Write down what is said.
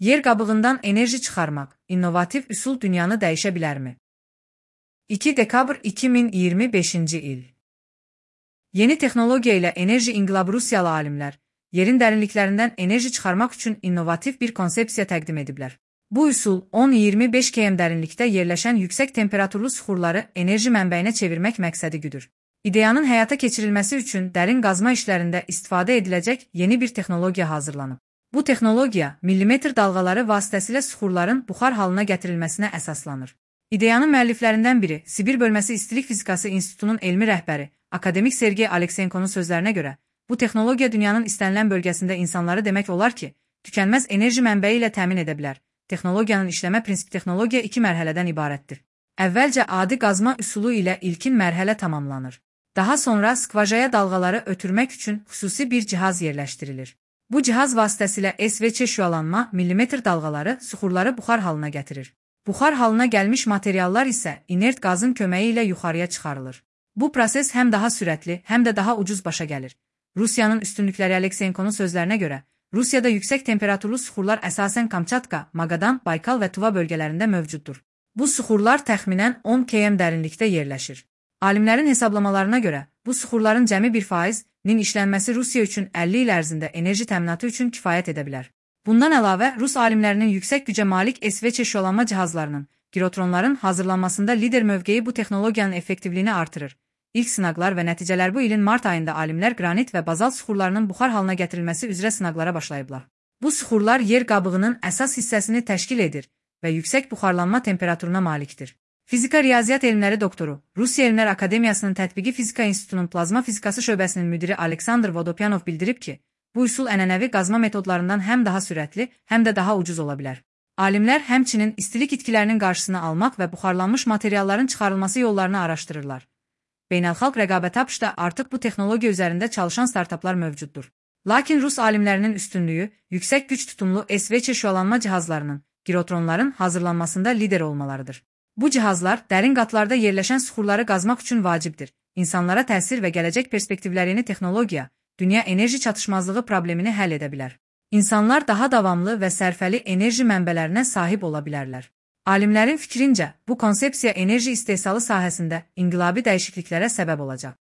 Yer qabığından enerji çıxarmaq, innovativ üsul dünyanı dəyişə bilərmi? 2 dekabr 2025-ci il. Yeni texnologiya ilə enerji inqilabı Rusiyalı alimlər, yerin dərinliklərindən enerji çıxarmaq üçün innovativ bir konsepsiya təqdim ediblər. Bu üsul 10-25 km dərinlikdə yerləşən yüksək temperaturlu suxurları enerji mənbəyinə çevirmək məqsədi güdür. İdeyanın həyata keçirilməsi üçün dərin qazma işlərində istifadə ediləcək yeni bir texnologiya hazırlanıb. Bu texnologiya millimetr dalğaları vasitəsilə suxurların buxar halına gətirilməsinə əsaslanır. İdeyanın müəlliflərindən biri, Sibir bölməsi İstilik Fizikası İnstitutunun elmi rəhbəri, akademik Sergey Aleksenkonun sözlərinə görə, bu texnologiya dünyanın istənilən bölgəsində insanları demək olar ki, tükənməz enerji mənbəyi ilə təmin edə bilər. Texnologiyanın işləmə prinsipi texnologiya 2 mərhələdən ibarətdir. Əvvəlcə adi qazma üsulu ilə ilkin mərhələ tamamlanır. Daha sonra skvajaya dalğaları ötürmək üçün xüsusi bir cihaz yerləşdirilir. Bu cihaz vasitəsilə SVÇ şüalanma millimetr dalğaları suxurları buxar halına gətirir. Buxar halına gəlmiş materiallar isə inert qazın köməyi ilə yuxarıya çıxarılır. Bu proses həm daha sürətli, həm də daha ucuz başa gəlir. Rusiyanın üstünlükləri Aleksenkonun sözlərinə görə, Rusiyada yüksək temperaturlu suxurlar əsasən Kamçatka, Magadan, Baykal və Tuva bölgələrində mövcuddur. Bu suxurlar təxminən 10 km dərinlikdə yerləşir. Alimlərin hesablamalarına görə, bu suxurların cəmi 1%-nin işlənməsi Rusiya üçün 50 il ərzində enerji təminatı üçün kifayət edə bilər. Bundan əlavə, Rus alimlərinin yüksək gücə malik SVÇ şüalanma cihazlarının, girotronların hazırlanmasında lider mövqeyi bu texnologiyanın effektivliyini artırır. İlk sınaqlar və nəticələr bu ilin mart ayında alimlər qranit və bazalt suxurlarının buxar halına gətirilməsi üzrə sınaqlara başlayıblar. Bu suxurlar yer qabığının əsas hissəsini təşkil edir və yüksək buxarlanma temperaturuna malikdir. Fizika riyaziyyat elmləri doktoru, Rusiya Elmlər Akademiyasının Tətbiqi Fizika İnstitutunun plazma fizikası şöbəsinin müdiri Aleksandr Vodopyanov bildirib ki, bu üsul ənənəvi qazma metodlarından həm daha sürətli, həm də daha ucuz ola bilər. Alimlər həmçinin istilik itkilərinin qarşısını almaq və buxarlanmış materialların çıxarılması yollarını araşdırırlar. Beynəlxalq rəqabət tapışda artıq bu texnologiya üzərində çalışan startaplar mövcuddur. Lakin Rus alimlərinin üstünlüyü, yüksək güc tutumlu SVÇ şüalanma cihazlarının, girotronların hazırlanmasında lider olmalarıdır. Bu cihazlar dərin qatlarda yerləşən suxurları qazmaq üçün vacibdir. İnsanlara təsir və gələcək perspektivlərini texnologiya, dünya enerji çatışmazlığı problemini həll edə bilər. İnsanlar daha davamlı və sərfəli enerji mənbələrinə sahib ola bilərlər. Alimlərin fikrincə, bu konsepsiya enerji istehsalı sahəsində inqilabi dəyişikliklərə səbəb olacaq.